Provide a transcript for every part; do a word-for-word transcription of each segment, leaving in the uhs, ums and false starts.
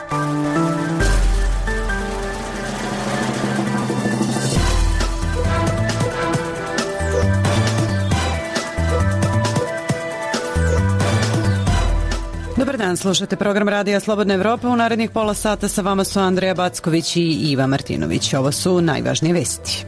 Dobar dan, slušate program Radija Slobodna Evropa. U narednih pola sata sa vama su Andreja Backović i Iva Martinović. Ovo su najvažnije vesti.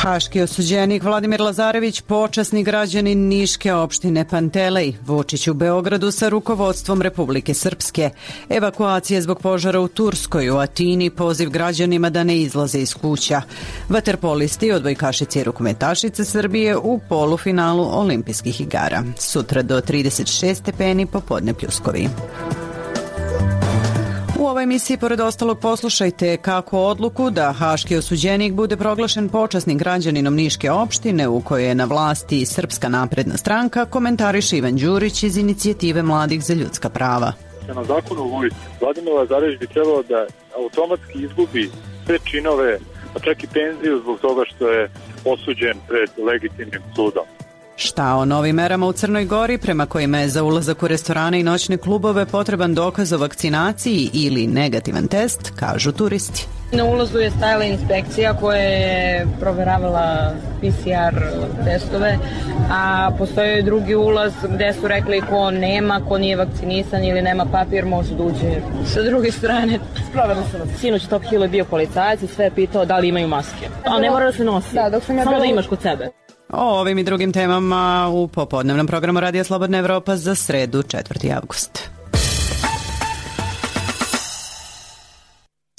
Haški osuđenik Vladimir Lazarević, počasni građanin Niške opštine Pantelej, Vučić u Beogradu sa rukovodstvom Republike Srpske, evakuacije zbog požara u Turskoj, u Atini, poziv građanima da ne izlaze iz kuća, vaterpolisti, odbojkašice i rukometašice Srbije u polufinalu olimpijskih igara. Sutra do trideset šest stepeni, popodne pljuskovi. U ovoj emisiji, pored ostalog, poslušajte kako odluku da haški osuđenik bude proglašen počasnim građaninom Niške opštine u kojoj je na vlasti Srpska napredna stranka, komentariše Ivan Đurić iz inicijative Mladih za ljudska prava. Na zakonu o vojsci Vladimir Lazarević bi trebalo da automatski izgubi sve činove, pa čak i penziju zbog toga što je osuđen pred legitimnim sudom. Šta o novim merama u Crnoj Gori, prema kojima je za ulazak u restorane i noćne klubove potreban dokaz o vakcinaciji ili negativan test, kažu turisti. Na ulazu je stajala inspekcija koja je proveravala P C R testove, a postoji drugi ulaz gde su rekli ko nema, ko nije vakcinisan ili nema papir, može da uđe sa druge strane. Sproveli su nas. Sinoć Top Hill je bio policajac i sve je pitao da li imaju maske. A ne mora da se nosi, da, dok sam ja samo da imaš kod sebe. O ovim i drugim temama u popodnevnom programu Radija Slobodna Evropa za sredu, četvrti avgust.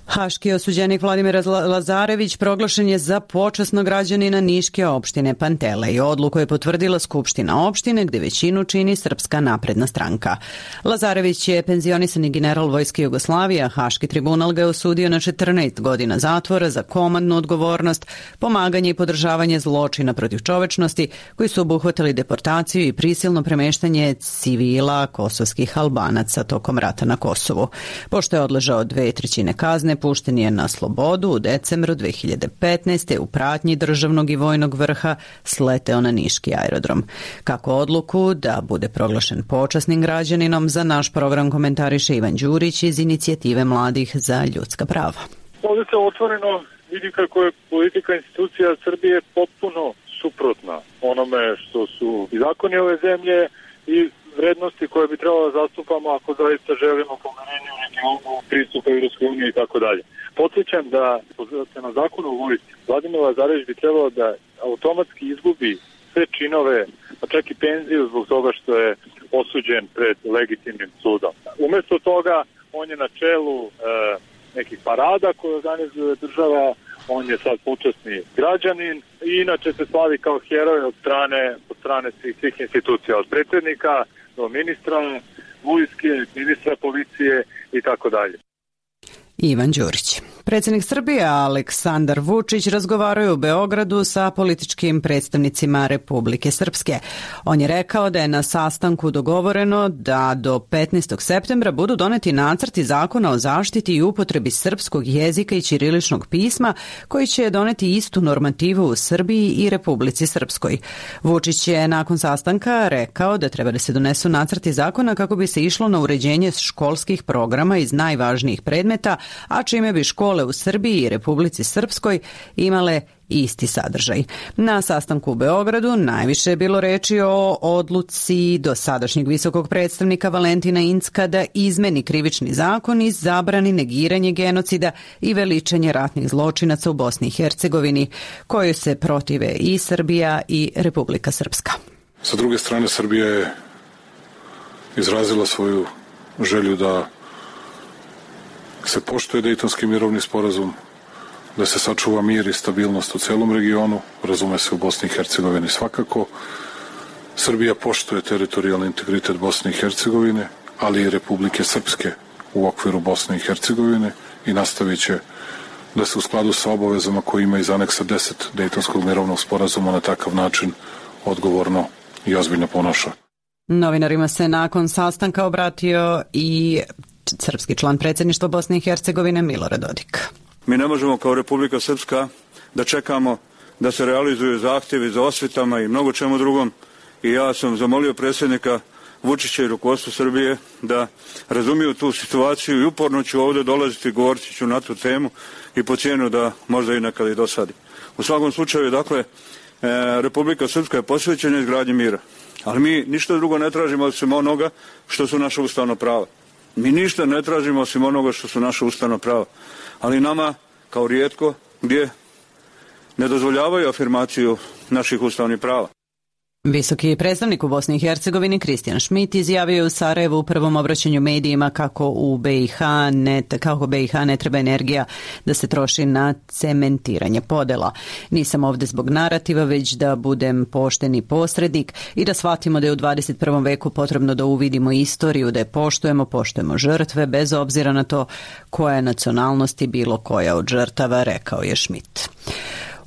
Haški osuđenik Vladimir Lazarević proglašen je za počasnog građanina Niške opštine Pantelej. Odluku je potvrdila Skupština opštine gde većinu čini Srpska napredna stranka. Lazarević je penzionisani general Vojske Jugoslavije, a Haški tribunal ga je osudio na četrnaest godina zatvora za komandnu odgovornost, pomaganje i podržavanje zločina protiv čovečnosti koji su obuhvatili deportaciju i prisilno premeštanje civila kosovskih Albanaca tokom rata na Kosovu. Pošto je odležao dve trećine kazne, pušten je na slobodu u decembru dve hiljade petnaeste. u pratnji državnog i vojnog vrha sleteo na Niški aerodrom. Kako odluku da bude proglašen počasnim građaninom, za naš program komentariše Ivan Đurić iz inicijative Mladih za ljudska prava. Ovdje se otvoreno vidi kako je politika institucija Srbije potpuno suprotna onome što su i zakoni ove zemlje i vrednosti koje bi trebalo da zastupamo ako zaista želimo pomirenje u regionu, pristupa Evropskoj uniji i tako dalje. Podsjećam da se na zakonu o vojsci Vladimir Lazarević bi trebalo da automatski izgubi sve činove, pa čak i penziju zbog toga što je osuđen pred legitimnim sudom. Umesto toga on je na čelu e, nekih parada koje organizuje država, on je sad počasni građanin i inače se slavi kao heroj od strane, od strane svih, svih institucija, od predsjednika do ministra vojske, ministra policije i tako dalje. Ivan Đurić. Predsjednik Srbije Aleksandar Vučić razgovarao je u Beogradu sa političkim predstavnicima Republike Srpske. On je rekao da je na sastanku dogovoreno da do petnaestog septembra budu doneti nacrti zakona o zaštiti i upotrebi srpskog jezika i ćiriličnog pisma koji će doneti istu normativu u Srbiji i Republici Srpskoj. Vučić je nakon sastanka rekao da treba da se donesu nacrti zakona kako bi se išlo na uređenje školskih programa iz najvažnijih predmeta, a čime bi škole u Srbiji i Republici Srpskoj imale isti sadržaj. Na sastanku u Beogradu najviše je bilo reči o odluci dosadašnjeg visokog predstavnika Valentina Incka da izmeni krivični zakon i zabrani negiranje genocida i veličanje ratnih zločinaca u Bosni i Hercegovini, kojoj se protive i Srbija i Republika Srpska. Sa druge strane, Srbija je izrazila svoju želju da se poštuje Dejtonski mirovni sporazum, da se sačuva mir i stabilnost u celom regionu, razume se u Bosni i Hercegovini svakako. Srbija poštuje teritorijalni integritet Bosne i Hercegovine, ali i Republike Srpske u okviru Bosne i Hercegovine i nastavit će da se u skladu sa obavezama koje ima iz aneksa deset Dejtonskog mirovnog sporazuma na takav način odgovorno i ozbiljno ponaša. Novinarima se nakon sastanka obratio i srpski član predsjedništva Bosne i Hercegovine Milorad Dodik. Mi ne možemo kao Republika Srpska da čekamo da se realizuju zahtjevi za osvetama i mnogo čemu drugom i ja sam zamolio predsjednika Vučića i rukovodstvo Srbije da razumiju tu situaciju i uporno ću ovdje dolaziti, govoriti ću na tu temu i po cijenu da možda i nekada i dosadi. U svakom slučaju, dakle, Republika Srpska je posvećena izgradnji mira, ali mi ništa drugo ne tražimo osim onoga što su naša ustavna prava. Mi ništa ne tražimo osim onoga što su naša ustavna prava, ali nama, kao rijetko, gdje ne dozvoljavaju afirmaciju naših ustavnih prava. Visoki predstavnik u Bosni i Hercegovini Kristijan Šmit izjavio je u Sarajevu u prvom obraćanju medijima kako u B i H ne, kako B i H ne treba energija da se troši na cementiranje podela. Nisam ovdje zbog narativa, već da budem pošteni posrednik i da shvatimo da je u dvadeset prvom veku potrebno da uvidimo istoriju, da je poštujemo, poštujemo žrtve bez obzira na to koja je nacionalnost i bilo koja od žrtava, rekao je Šmit.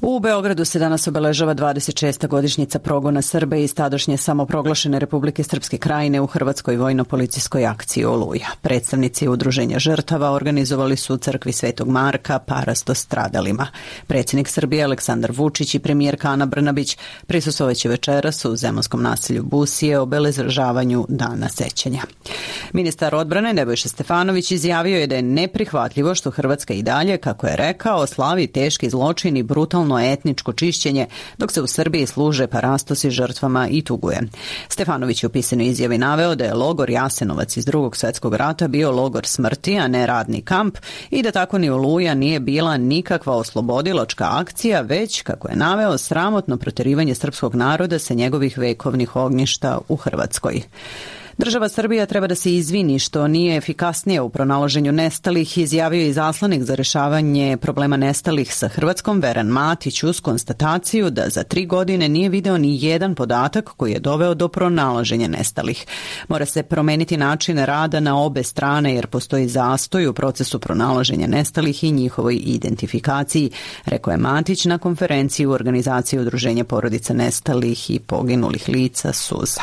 U Beogradu se danas obeležava dvadeset šesta godišnjica progona Srba iz tadašnje samoproglašene Republike Srpske Krajine u Hrvatskoj vojno-policijskoj akciji Oluja. Predstavnici udruženja žrtava organizovali su u crkvi Svetog Marka parasto stradalima. Predsjednik Srbije Aleksandar Vučić i premijerka Ana Brnabić prisustvovaće večeras u zemunskom naselju Busije obeležavanju dana sećanja. Ministar odbrane Nebojša Stefanović izjavio je da je neprihvatljivo što Hrvatska i dalje, kako je rekao, slavi teški zločin i brutalno etničko čišćenje, dok se u Srbiji služe parastosi žrtvama i tuguje. Stefanović je u pisanoj izjavi naveo da je logor Jasenovac iz Drugog svjetskog rata bio logor smrti, a ne radni kamp, i da tako ni Oluja nije bila nikakva oslobodilačka akcija, već, kako je naveo, sramotno protjerivanje srpskog naroda sa njegovih vekovnih ognjišta u Hrvatskoj. Država Srbija treba da se izvini što nije efikasnija u pronalaženju nestalih, izjavio je izaslanik za rješavanje problema nestalih sa Hrvatskom Veran Matić uz konstataciju da za tri godine nije video ni jedan podatak koji je doveo do pronalaženja nestalih. Mora se promeniti način rada na obe strane jer postoji zastoj u procesu pronalaženja nestalih i njihovoj identifikaciji, rekao je Matić na konferenciji u organizaciji Udruženja porodica nestalih i poginulih lica Suza.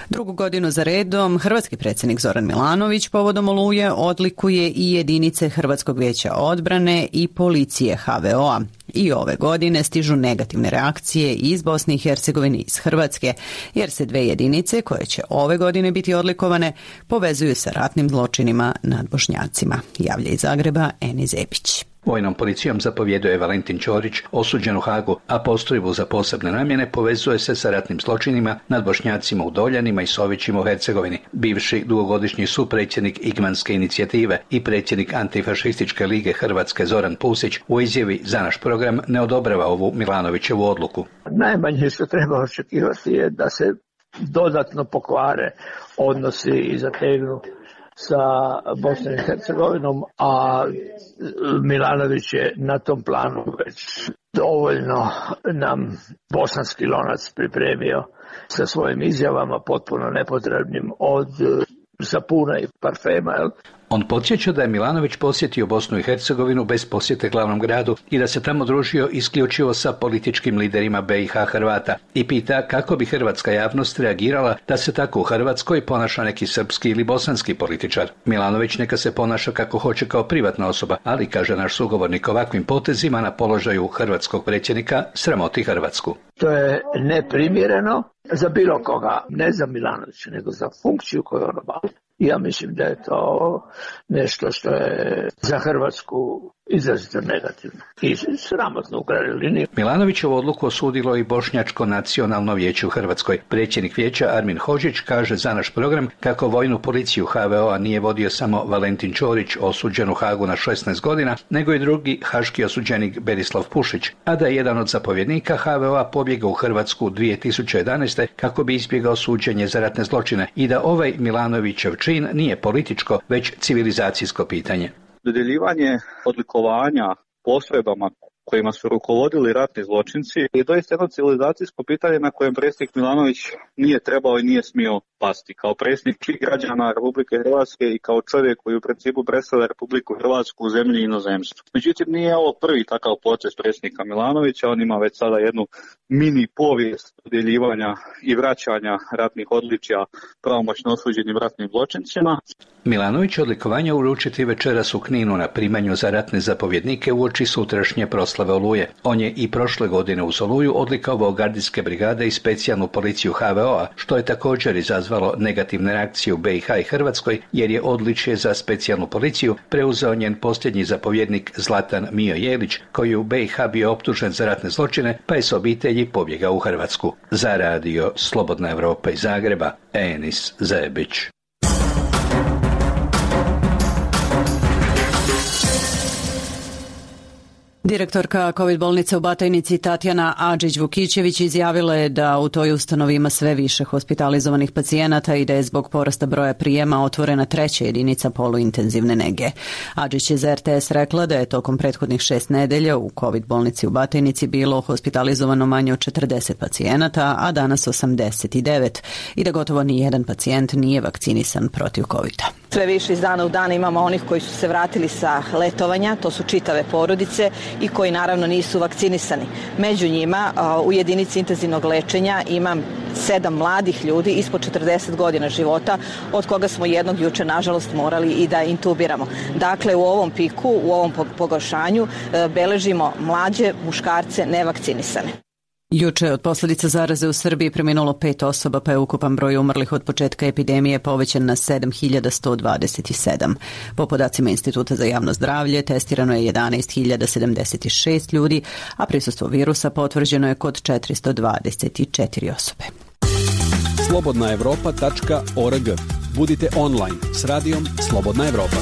Drugu godinu za redom hrvatski predsjednik Zoran Milanović povodom Oluje odlikuje i jedinice Hrvatskog vijeća odbrane i policije H V O-a. I ove godine stižu negativne reakcije iz Bosne i Hercegovine i iz Hrvatske, jer se dve jedinice koje će ove godine biti odlikovane povezuju sa ratnim zločinima nad Bošnjacima. Javlja iz Zagreba Eni Zepić. Vojnom policijom zapovjeduje Valentin Ćorić, osuđen u Hagu, a postrojbu za posebne namjene povezuje se sa ratnim zločinima nad Bošnjacima u Doljanima i Sovićima u Hercegovini. Bivši dugogodišnji supredsjednik Igmanske inicijative i predsjednik Antifašističke lige Hrvatske Zoran Pusić u izjavi za naš program ne odobrava ovu Milanovićevu odluku. Najmanje što treba očekivati je da se dodatno pokvare odnosi i zategnu sa Bosnom i Hercegovinom, a Milanović je na tom planu već dovoljno nam bosanski lonac pripremio sa svojim izjavama potpuno nepotrebnim od sapuna i parfema. Jel? On podsjeća da je Milanović posjetio Bosnu i Hercegovinu bez posjete glavnom gradu i da se tamo družio isključivo sa političkim liderima B i H Hrvata i pita kako bi hrvatska javnost reagirala da se tako u Hrvatskoj ponaša neki srpski ili bosanski političar. Milanović neka se ponaša kako hoće kao privatna osoba, ali, kaže naš sugovornik, ovakvim potezima na položaju hrvatskog predsjednika sramoti Hrvatsku. To je neprimjereno za bilo koga, ne za Milanovića, nego za funkciju koju on obavlja. Ja mislim da je to nešto što je za Hrvatsku izrazito negativno i sramotno u krajnjoj liniji. Milanovićevu odluku osudilo i Bošnjačko nacionalno vijeće u Hrvatskoj. Predsjednik vijeća Armin Hodžić kaže za naš program kako vojnu policiju H V O-a nije vodio samo Valentin Ćorić, osuđen u Hagu na šesnaest godina, nego i drugi haški osuđenik Berislav Pušić, a da je jedan od zapovjednika H V O-a pobjegao u Hrvatsku dvije tisuće jedanaeste kako bi izbjegao suđenje za ratne zločine i da ovaj Milanovićev čin nije političko, već civilizacijsko pitanje. Dodjeljivanje odlikovanja postrojbama kojima su rukovodili ratni zločinci je doista jedno civilizacijsko pitanje na kojem predsjednik Milanović nije trebao i nije smio pasti. Kao predsjednik svih građana Republike Hrvatske i kao čovjek koji u principu predstavlja Republiku Hrvatsku u zemlji i inozemstvu. Međutim, nije ovo prvi takav proces predsjednika Milanovića, on ima već sada jednu mini povijest dodjeljivanja i vraćanja ratnih odličja pravomoćno osuđenim ratnim zločincima. Milanović će odlikovanje uručiti večeras u Kninu na primanju za ratne zapovjednike uoči sutrašnje proslave Oluje. On je i prošle godine uz Oluju odlikovao gardijske brigade i specijalnu policiju H V O-a, što je također izazvalo izazvalo negativne reakcije u B i H i Hrvatskoj jer je odličje za specijalnu policiju preuzeo njen posljednji zapovjednik Zlatan Mijo Jelić, koji je u B i H bio optužen za ratne zločine pa je s obitelji pobjegao u Hrvatsku. Za radio Slobodna Evropa iz Zagreba, Enis Zebić. Direktorka COVID bolnice u Batajnici Tatjana Adžić-Vukićević izjavila je da u toj ustanovi ima sve više hospitalizovanih pacijenata i da je zbog porasta broja prijema otvorena treća jedinica poluintenzivne nege. Adžić je za R T S rekla da je tokom prethodnih šest nedelja u COVID bolnici u Batajnici bilo hospitalizovano manje od četrdeset pacijenata, a danas osamdeset devet i da gotovo ni jedan pacijent nije vakcinisan protiv covida. Sve više iz dana u dan imamo onih koji su se vratili sa letovanja, to su čitave porodice i koji naravno nisu vakcinisani. Među njima u jedinici intenzivnog lečenja imam sedam mladih ljudi ispod četrdeset godina života, od koga smo jednog juče nažalost morali i da intubiramo. Dakle, u ovom piku, u ovom pogoršanju beležimo mlađe muškarce nevakcinisane. Juče od posljedica zaraze u Srbiji preminulo pet osoba, pa je ukupan broj umrlih od početka epidemije povećan na sedam hiljada sto dvadeset sedam. Po podacima Instituta za javno zdravlje testirano je jedanaest hiljada sedamdeset šest ljudi, a prisustvo virusa potvrđeno je kod četiristo dvadeset četiri osobe. slobodna evropa tačka org. Budite online s radijom Slobodna Evropa.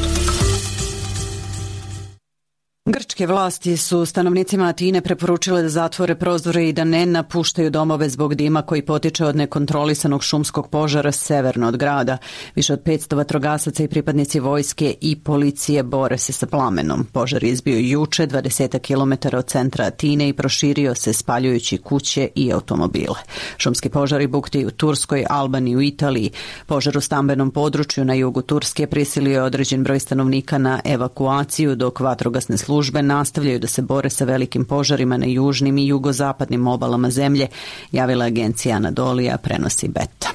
Grčke vlasti su stanovnicima Atine preporučile da zatvore prozore i da ne napuštaju domove zbog dima koji potiče od nekontrolisanog šumskog požara severno od grada. Više od petsto vatrogasaca i pripadnici vojske i policije bore se sa plamenom. Požar je izbio juče dvadeset kilometara od centra Atine i proširio se spaljujući kuće i automobile. Šumski požari bukti u Turskoj, Albaniji, u Italiji. Požar u stambenom području na jugu Turske prisilio je određen broj stanovnika na evakuaciju, dok vatrogasne službe Službe nastavljaju da se bore sa velikim požarima na južnim i jugozapadnim obalama zemlje, javila agencija Anadolija, prenosi Beta.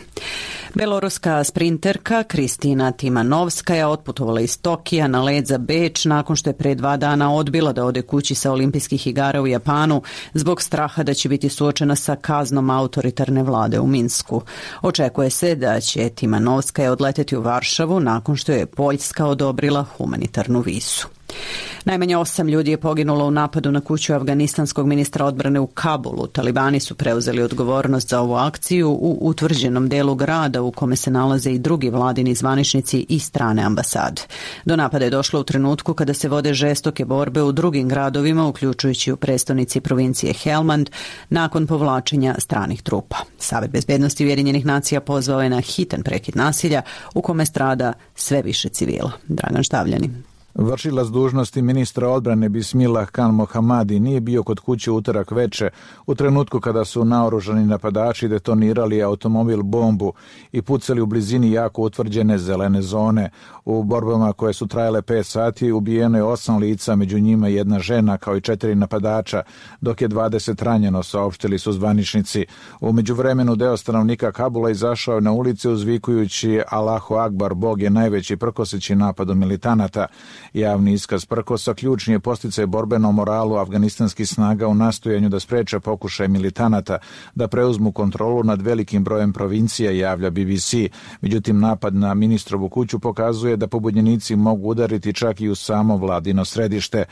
Beloruska sprinterka Kristina Timanovska je otputovala iz Tokija na let za Beč nakon što je pre dva dana odbila da ode kući sa olimpijskih igara u Japanu zbog straha da će biti suočena sa kaznom autoritarne vlade u Minsku. Očekuje se da će Timanovska odleteti u Varšavu nakon što je Poljska odobrila humanitarnu vizu. Najmanje osam ljudi je poginulo u napadu na kuću afganistanskog ministra odbrane u Kabulu. Talibani su preuzeli odgovornost za ovu akciju u utvrđenom delu grada u kome se nalaze i drugi vladini zvaničnici i strane ambasade. Do napada je došlo u trenutku kada se vode žestoke borbe u drugim gradovima, uključujući u prestonici provincije Helmand, nakon povlačenja stranih trupa. Savet bezbednosti Ujedinjenih nacija pozvao je na hitan prekid nasilja u kome strada sve više civila. Dragan Štavljani. Vršilac dužnosti ministra odbrane Bismillah Khan Mohammadi nije bio kod kuće utorak veče u trenutku kada su naoružani napadači detonirali automobil bombu i pucali u blizini jako utvrđene zelene zone. U borbama koje su trajale pet sati ubijeno je osam lica, među njima jedna žena kao i četiri napadača, dok je dvadeset ranjeno, saopštili su zvaničnici. U međuvremenu deo stanovnika Kabula izašao na ulice uzvikujući Allahu Akbar, Bog je najveći, prkoseći napadu militanata. Javni iskaz prkosa ključni je posticaj borbenom moralu afganistanskih snaga u nastojanju da spreče pokušaj militanata da preuzmu kontrolu nad velikim brojem provincija, javlja B B C. Međutim, napad na ministrovu kuću pokazuje da pobunjenici mogu udariti čak i u samo vladino središte.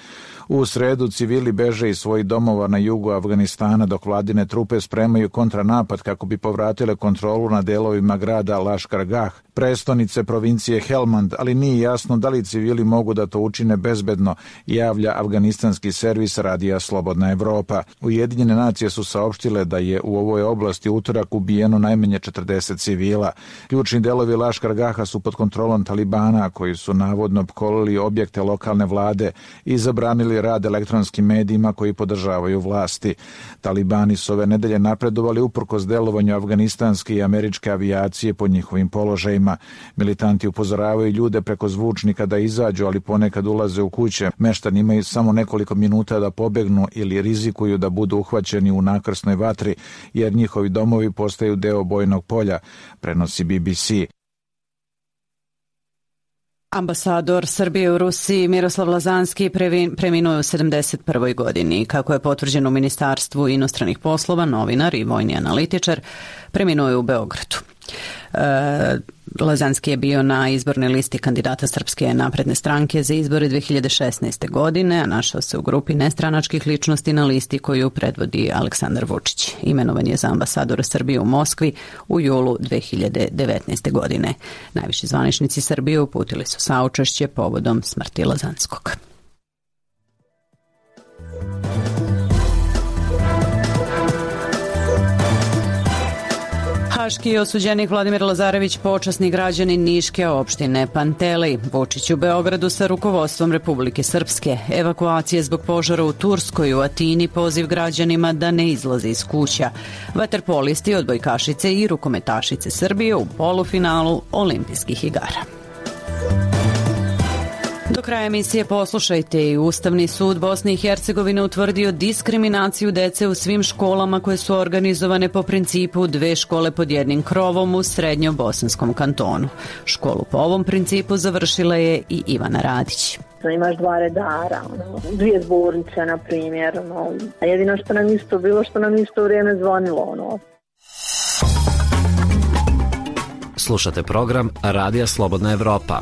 U sredu civili beže iz svojih domova na jugu Afganistana, dok vladine trupe spremaju kontranapad kako bi povratile kontrolu nad delovima grada Lashkar Gah, prestonice provincije Helmand, ali nije jasno da li civili mogu da to učine bezbedno, javlja afganistanski servis radija Slobodna Evropa. Ujedinjene nacije su saopštile da je u ovoj oblasti utorak ubijeno najmanje četrdeset civila. Ključni delovi Lashkar Gaha su pod kontrolom Talibana, koji su navodno opkolili objekte lokalne vlade i zabranili rad elektronskim medijima koji podržavaju vlasti. Talibani su ove nedelje napredovali uprkos delovanju afganistanske i američke avijacije po njihovim položajima. Militanti upozoravaju ljude preko zvučnika da izađu, ali ponekad ulaze u kuće. Meštani imaju samo nekoliko minuta da pobegnu ili rizikuju da budu uhvaćeni u nakrsnoj vatri, jer njihovi domovi postaju deo bojnog polja, prenosi B B C. Ambasador Srbije u Rusiji Miroslav Lazanski preminuo u sedamdeset prvoj godini. Kako je potvrđeno u Ministarstvu inostranih poslova, novinar i vojni analitičar, preminuo je u Beogradu. Lazanski je bio na izbornoj listi kandidata Srpske napredne stranke za izbore dve hiljade šesnaeste. godine, a našao se u grupi nestranačkih ličnosti na listi koju predvodi Aleksandar Vučić. Imenovan je za ambasadora Srbije u Moskvi u julu dve hiljade devetnaeste. godine. Najviši zvaničnici Srbije uputili su saučešće povodom smrti Lazanskog. Haški osuđenik Vladimir Lazarević, počasni građanin Niške opštine Pantelej. Vučić u Beogradu sa rukovodstvom Republike Srpske. Evakuacije zbog požara u Turskoj, u Atini, poziv građanima da ne izlaze iz kuća. Vaterpolisti, odbojkašice i rukometašice Srbije u polufinalu olimpijskih igara. Do kraja emisije poslušajte i Ustavni sud Bosne i Hercegovine utvrdio diskriminaciju dece u svim školama koje su organizovane po principu dve škole pod jednim krovom u srednjobosanskom kantonu. Školu po ovom principu završila je i Ivana Radić. Imaš dva redara, ono, dvije zbornice, na primjer. Ono. A jedino što nam isto bilo, što nam isto vrijeme zvonilo. Ono. Slušate program Radija Slobodna Evropa.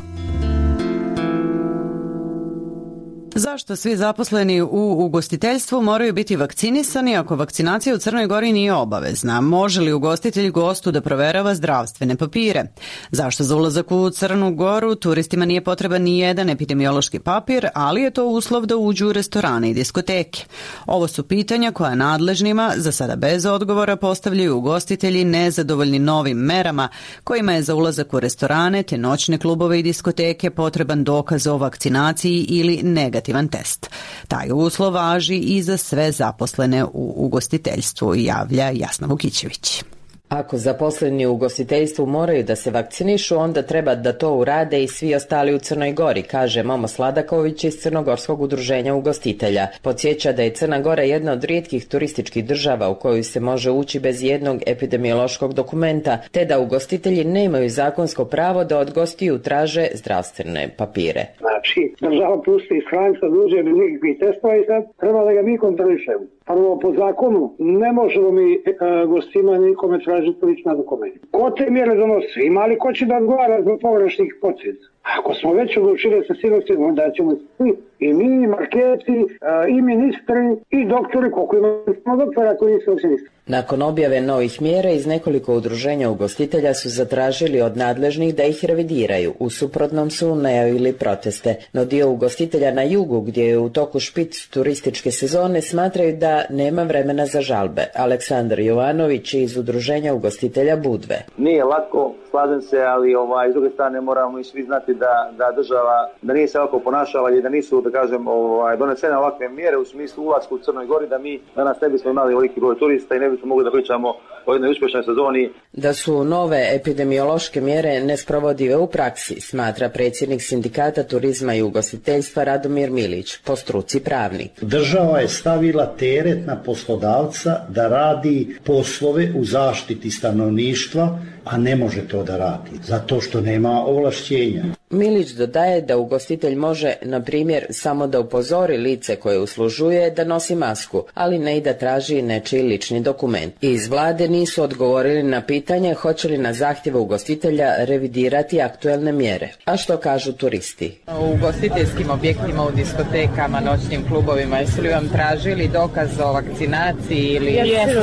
Zašto svi zaposleni u ugostiteljstvu moraju biti vakcinisani ako vakcinacija u Crnoj Gori nije obavezna? Može li ugostitelj gostu da proverava zdravstvene papire? Zašto za ulazak u Crnu Goru turistima nije potreban ni jedan epidemiološki papir, ali je to uslov da uđu u restorane i diskoteke? Ovo su pitanja koja nadležnima, za sada bez odgovora, postavljaju ugostitelji nezadovoljni novim merama kojima je za ulazak u restorane te noćne klubove i diskoteke potreban dokaz o vakcinaciji ili negativan test. Taj uslov važi i za sve zaposlene u ugostiteljstvu, javlja Jasna Vukićević. Ako zaposleni u ugostiteljstvu moraju da se vakcinišu, onda treba da to urade i svi ostali u Crnoj Gori, kaže Momo Sladaković iz Crnogorskog udruženja ugostitelja. Podsjeća da je Crna Gora jedna od rijetkih turističkih država u koju se može ući bez jednog epidemiološkog dokumenta, te da ugostitelji nemaju zakonsko pravo da od gostiju traže zdravstvene papire. Znači, država pusti iz Franca, duže bez nikakvih testova i sad treba da ga mi kontrolišemo. Prvo, po zakonu ne možemo mi e, gostima nikome tražiti lična dokumenta. Ko te mjere donosi? Ima li ko će da odgovara zbog pogrešnih posljedica? Ako smo već odlučili sa sigurnostima, onda ćemo svi, i mi, i marketi, i ministri, i doktori, koliko imamo doktora koji nisu vakcinisti. Nakon objave novih mjera iz nekoliko udruženja ugostitelja su zatražili od nadležnih da ih revidiraju. U suprotnom su najavili proteste. No dio ugostitelja na jugu, gdje je u toku špic turističke sezone, smatraju da nema vremena za žalbe. Aleksandar Jovanović iz udruženja ugostitelja Budve. Nije lako, slažem se, ali ovaj, s druge strane moramo i svi znati da, da država da nije se ovako ponašala i da nisu, da kažem, ovaj, donesene ovakve mjere u smislu ulaska u Crnoj Gori, da mi danas ne bismo imali veliki broj turista i ne bismo mogli da pričamo o jednoj uspješnoj sezoni. Da su nove epidemiološke mjere nesprovodive u praksi, smatra predsjednik Sindikata turizma i ugostiteljstva Radomir Milić, po struci pravnik. Država je stavila teret na poslodavca da radi poslove u zaštiti stanovništva, a ne može to da radi, zato što nema ovlašćenja. Milić dodaje da ugostitelj može, na primjer, samo da upozori lice koje uslužuje da nosi masku, ali ne i da traži nečiji lični dokument. Iz vlade nisu odgovorili na pitanje hoće li na zahtjeve ugostitelja revidirati aktuelne mjere. A što kažu turisti? U ugostiteljskim objektima, u diskotekama, noćnim klubovima, jesu li vam tražili dokaz o vakcinaciji ili... Jesu.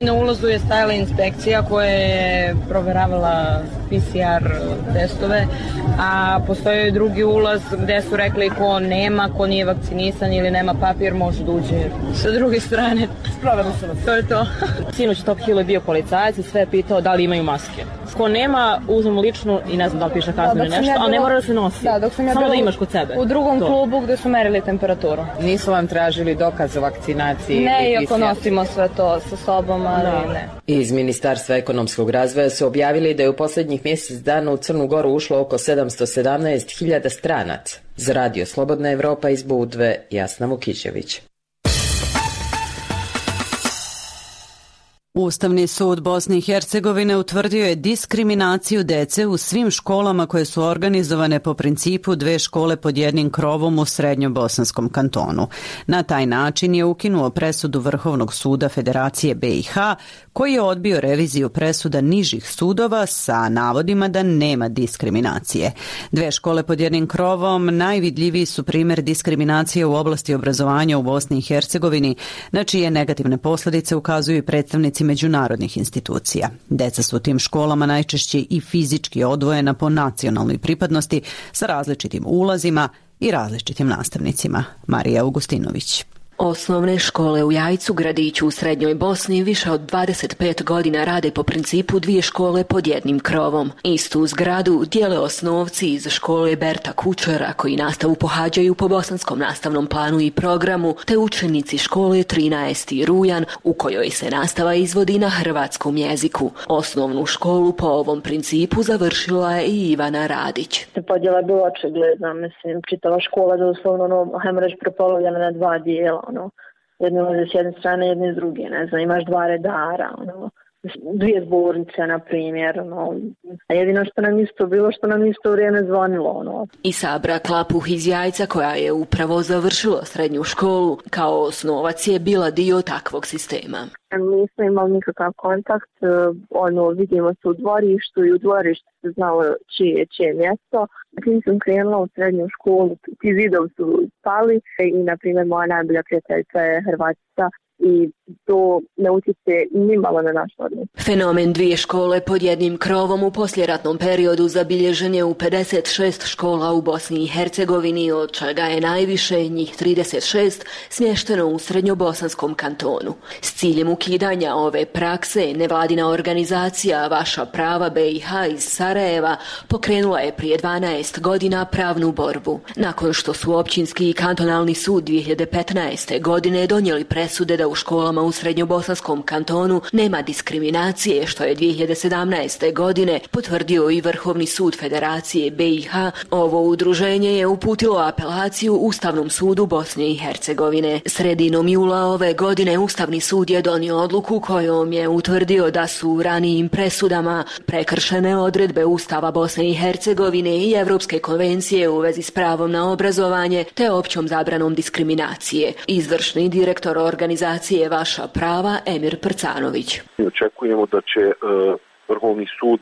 Na ulazu je stajala inspekcija koja je proveravala P C R testove, a postoji drugi ulaz gde su rekli ko nema, ko nije vakcinisan ili nema papir, može da uđe sa druge strane. Provjerili su vas. To je to. Sinoć Top Hill je bio policajac i sve je pitao da li imaju maske. Ko nema, uzmemo ličnu i ne znam da li piše kaznu ili nešto, ali ne mora da se nosi. Da, dok sam ja samo da imaš kod sebe. U drugom to. klubu gde su merili temperaturu. Nisu vam tražili dokaz o vakcinaciji? Ne, iako nosimo sve to sa sobom, ali no. ne. Iz Ministarstva ekonomskog razvoja su objavili da je u posljednjih mjesec dana u Crnu Goru ušlo oko sedamsto sedamnaest hiljada stranaca. Za Radio Slobodna Evropa iz Budve, Jasna Vukićević. Ustavni sud Bosne i Hercegovine utvrdio je diskriminaciju dece u svim školama koje su organizovane po principu dve škole pod jednim krovom u srednjobosanskom kantonu. Na taj način je ukinuo presudu Vrhovnog suda Federacije B i H, koji je odbio reviziju presuda nižih sudova sa navodima da nema diskriminacije. Dve škole pod jednim krovom najvidljiviji su primjer diskriminacije u oblasti obrazovanja u Bosni i Hercegovini, na čije negativne posljedice ukazuju i predstavnici međunarodnih institucija. Deca su u tim školama najčešće i fizički odvojena po nacionalnoj pripadnosti sa različitim ulazima i različitim nastavnicima. Marija Augustinović. Osnovne škole u Jajcu, gradiću u Srednjoj Bosni, više od dvadeset pet godina rade po principu dvije škole pod jednim krovom. Istu zgradu dijele osnovci iz škole Berta Kučera, koji nastavu pohađaju po bosanskom nastavnom planu i programu, te učenici škole trinaesti rujan, u kojoj se nastava izvodi na hrvatskom jeziku. Osnovnu školu po ovom principu završila je i Ivana Radić. Podjela je bila očigledna, mislim, čitava škola doslovno, ono, hajmo reći, prepolovljena na dva dijela. Ono, jedno ulaze s jedne strane, jedne s druge, ne znam, imaš dva redara, ono, dvije zbornice, na primjer, ono, a jedino što nam isto bilo, što nam isto vrijeme zvonilo, ono. I Sabra Klapuh iz Jajca, koja je upravo završila srednju školu, kao osnovac je bila dio takvog sistema. Nismo imali nikakav kontakt, ono, vidimo se u dvorištu i u dvorištu se znalo čije je čije mjesto. Tim sam krenula u srednju školu, ti zidovi su spali i, na primjer, moja najbolja prijateljica je Hrvatica i to ne utječe nimalo na naš odnos. Fenomen dvije škole pod jednim krovom u poslijeratnom periodu zabilježen je u pedeset šest škola u Bosni i Hercegovini, od čega je najviše, njih trideset šest, smješteno u srednjobosanskom kantonu. S ciljem ukidanja ove prakse, nevladina organizacija Vaša prava B i H iz Sarajeva pokrenula je prije dvanaest godina pravnu borbu. Nakon što su općinski i kantonalni sud dvije hiljade petnaeste. godine donijeli presude da u školama u srednjobosanskom kantonu nema diskriminacije, što je dvije hiljade sedamnaeste. godine potvrdio i Vrhovni sud Federacije B i H, ovo udruženje je uputilo apelaciju Ustavnom sudu Bosne i Hercegovine. Sredinom jula ove godine Ustavni sud je donio odluku kojom je utvrdio da su u ranijim presudama prekršene odredbe Ustava Bosne i Hercegovine i Evropske konvencije u vezi s pravom na obrazovanje te općom zabranom diskriminacije. Izvršni direktor organizacije Vaša prava Emir Prcanović. Očekujemo da će uh, Vrhovni sud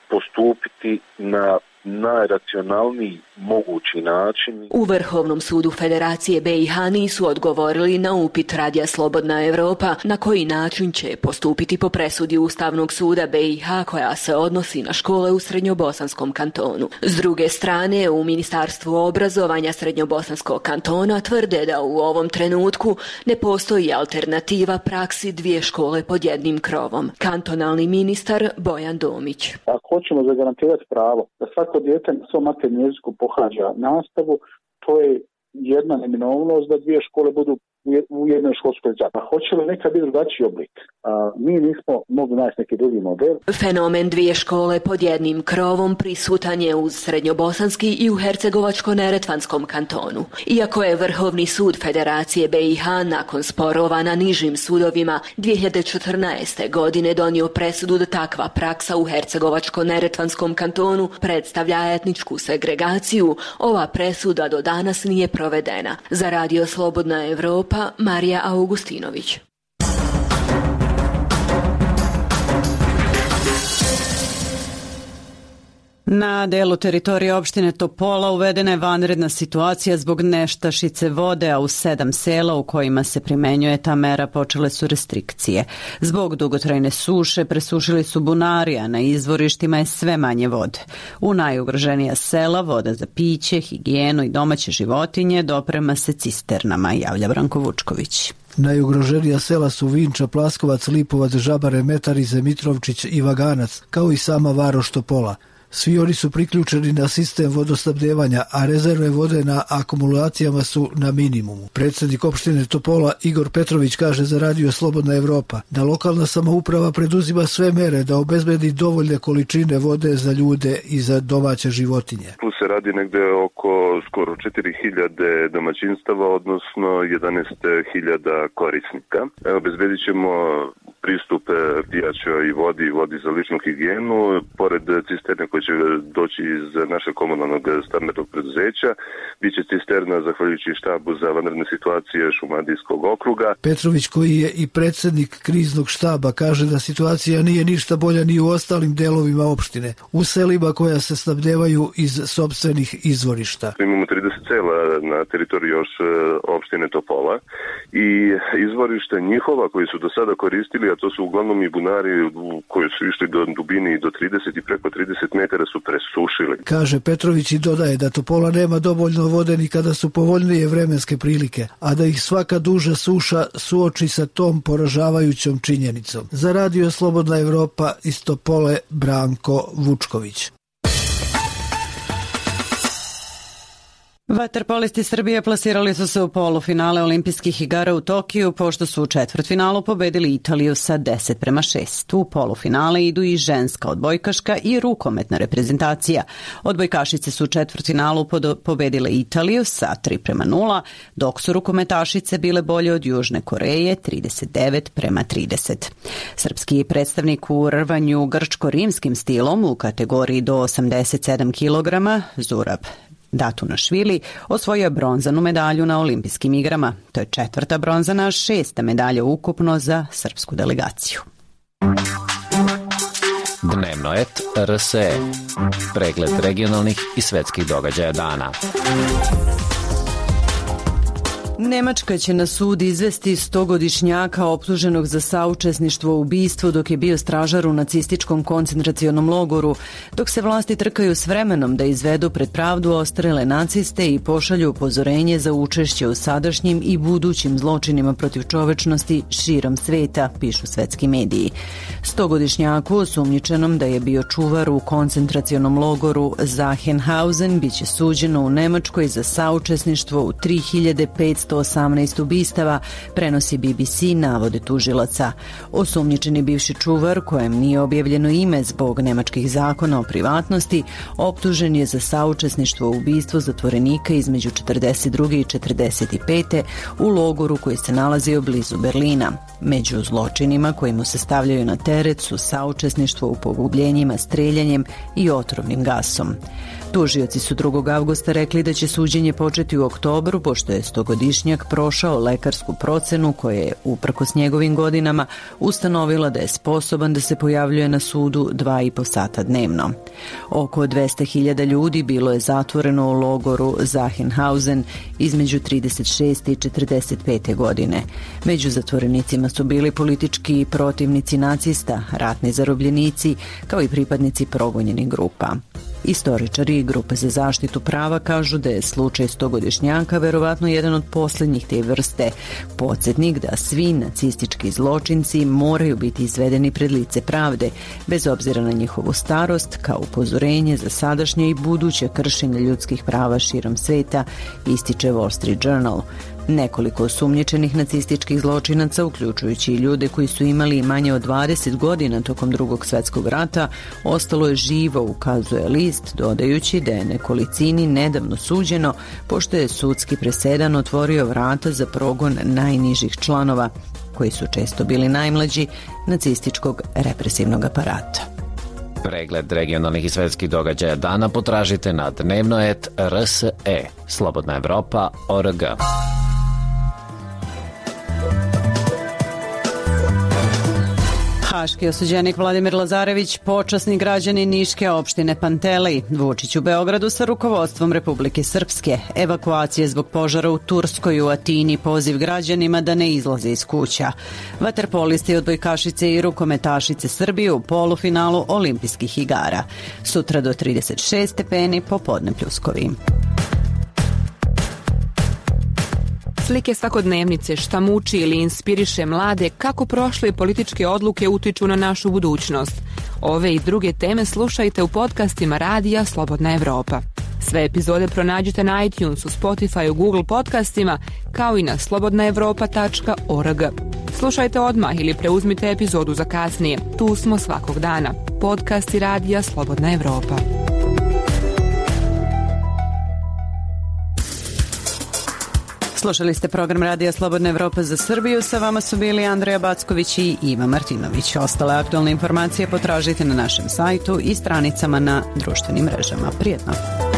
postupiti na najracionalniji mogući način. U Vrhovnom sudu Federacije B i H nisu odgovorili na upit Radija Slobodna Evropa na koji način će postupiti po presudi Ustavnog suda B i H koja se odnosi na škole u srednjobosanskom kantonu. S druge strane, u Ministarstvu obrazovanja srednjobosanskog kantona tvrde da u ovom trenutku ne postoji alternativa praksi dvije škole pod jednim krovom. Kantonalni ministar Bojan Domić. Ako hoćemo zagarantirati pravo da svako dijete na svom maternjem jeziku pohađa nastavu, to je jedna neminovnost da dvije škole budu u jednoj školskoj zajednici. Hoće li nekad biti drugačiji oblik? A, mi nismo mogli naći neki drugi model. Fenomen dvije škole pod jednim krovom prisutan je uz srednjobosanski i u hercegovačko-neretvanskom kantonu. Iako je Vrhovni sud Federacije B i H nakon sporova na nižim sudovima dvije hiljade četrnaeste. godine donio presudu da takva praksa u hercegovačko-neretvanskom kantonu predstavlja etničku segregaciju, ova presuda do danas nije provedena. Za Radio Slobodna Evropa, Marija Augustinović. Na delu teritorije opštine Topola uvedena je vanredna situacija zbog nestašice vode, a u sedam sela u kojima se primenjuje ta mera počele su restrikcije. Zbog dugotrajne suše presušili su bunari, a na izvorištima je sve manje vode. U najugroženija sela voda za piće, higijenu i domaće životinje doprema se cisternama, javlja Branko Vučković. Najugroženija sela su Vinča, Plaskovac, Lipovac, Žabare, Metarize, Mitrovčić i Vaganac, kao i sama varoš Topola. Svi oni su priključeni na sistem vodosnabdevanja, a rezerve vode na akumulacijama su na minimumu. Predsjednik opštine Topola Igor Petrović kaže za Radio Slobodna Evropa da lokalna samouprava preduzima sve mere da obezbedi dovoljne količine vode za ljude i za domaće životinje. Tu se radi negde oko skoro četiri hiljade domaćinstava, odnosno jedanaest hiljada korisnika. Obezbedit ćemo pristup pijaćoj vodi i vodi za ličnu higijenu, pored cisterne koje će doći iz našeg komunalnog stambenog preduzeća, bit će cisterna zahvaljujući štabu za vanredne situacije Šumadijskog okruga. Petrović, koji je i predsjednik kriznog štaba, kaže da situacija nije ništa bolja ni u ostalim delovima opštine, u selima koja se snabdevaju iz sopstvenih izvorišta. Imamo trideset sela na teritoriji još opštine Topola i izvorište njihova koji su do sada koristili, a to su uglavnom i bunari koji su išli do dubine i do trideset i preko trideset metara su presušili. Kaže Petrović i dodaje da Topola nema dovoljno vode ni kada su povoljnije vremenske prilike, a da ih svaka duža suša suoči sa tom poražavajućom činjenicom. Za Radio Slobodna Evropa iz Topole, Branko Vučković. Vaterpolisti Srbije plasirali su se u polufinale olimpijskih igara u Tokiju, pošto su u četvrtfinalu pobedili Italiju sa deset prema šest. U polufinale idu i ženska odbojkaška i rukometna reprezentacija. Odbojkašice su u četvrtfinalu pobedile Italiju sa tri prema nula, dok su rukometašice bile bolje od Južne Koreje trideset devet prema trideset. Srpski predstavnik u rvanju grčko-rimskim stilom u kategoriji do osamdeset sedam kilograma, Zurab Datunašvili, osvojio je bronzanu medalju na olimpijskim igrama. To je četvrta bronzana, šesta medalja ukupno za srpsku delegaciju. Dnevno et R S E. Pregled regionalnih i svetskih događaja dana. Nemačka će na sud izvesti stogodišnjaka optuženog za saučesništvo u ubistvu dok je bio stražar u nacističkom koncentracionom logoru, dok se vlasti trkaju s vremenom da izvedu pred pravdu ostrele naciste i pošalju upozorenje za učešće u sadašnjim i budućim zločinima protiv čovečnosti širom sveta, pišu svetski mediji. Stogodišnjaku osumnjičenom da je bio čuvar u koncentracionom logoru Sachsenhausen biće suđeno u Nemačkoj za saučesništvo u tri hiljade petsto osamnaest ubistava, prenosi B B C navode tužilaca. Osumnjičeni bivši čuvar, kojem nije objavljeno ime zbog nemačkih zakona o privatnosti, optužen je za saučesništvo u ubistvu zatvorenika između četrdeset druge i četrdeset pete u logoru koji se nalazio blizu Berlina. Među zločinima koji mu se stavljaju na teret su saučesništvo u pogubljenjima streljanjem i otrovnim gasom. Tužioci su drugog avgusta rekli da će suđenje početi u oktobru, pošto je stogodišnjak prošao lekarsku procenu koja je, uprkos njegovim godinama, ustanovila da je sposoban da se pojavljuje na sudu dva i po sata dnevno. Oko dvesta hiljada ljudi bilo je zatvoreno u logoru Sachsenhausen između trideset šeste i četrdeset pete godine. Među zatvorenicima su bili politički protivnici nacista, ratni zarobljenici, kao i pripadnici progonjenih grupa. Istoričari i grupe za zaštitu prava kažu da je slučaj stogodišnjaka verovatno jedan od posljednjih te vrste, podsjetnik da svi nacistički zločinci moraju biti izvedeni pred lice pravde, bez obzira na njihovu starost, kao upozorenje za sadašnje i buduće kršenje ljudskih prava širom sveta, ističe Wall Street Journal. Nekoliko osumnjičenih nacističkih zločinaca, uključujući i ljude koji su imali manje od dvadeset godina tokom Drugog svjetskog rata, ostalo je živo, ukazuje list, dodajući da je nekolicini nedavno suđeno, pošto je sudski presedan otvorio vrata za progon najnižih članova, koji su često bili najmlađi, nacističkog represivnog aparata. Pregled regionalnih i svetskih događaja dana potražite na dnevno et R S E, Slobodna Evropa, O R G. Haški osuđenik Vladimir Lazarević, počasni građanin Niške opštine Pantelej, Vučić u Beogradu sa rukovodstvom Republike Srpske, evakuacije zbog požara u Turskoj, u Atini, poziv građanima da ne izlaze iz kuća. Vaterpolisti, odbojkašice i rukometašice Srbije u polufinalu olimpijskih igara. Sutra do trideset šest stepeni, popodne pljuskovi. Slike svakodnevnice, šta muči ili inspiriše mlade, kako prošle političke odluke utiču na našu budućnost. Ove i druge teme slušajte u podcastima Radija Slobodna Evropa. Sve epizode pronađite na iTunesu, Spotifyu, Google podcastima, kao i na slobodna evropa tačka org. Slušajte odmah ili preuzmite epizodu za kasnije. Tu smo svakog dana. Podcasti Radija Slobodna Evropa. Slušali ste program Radija Slobodna Evropa za Srbiju. Sa vama su bili Andreja Backović i Iva Martinović. Ostale aktualne informacije potražite na našem sajtu i stranicama na društvenim mrežama. Prijetno!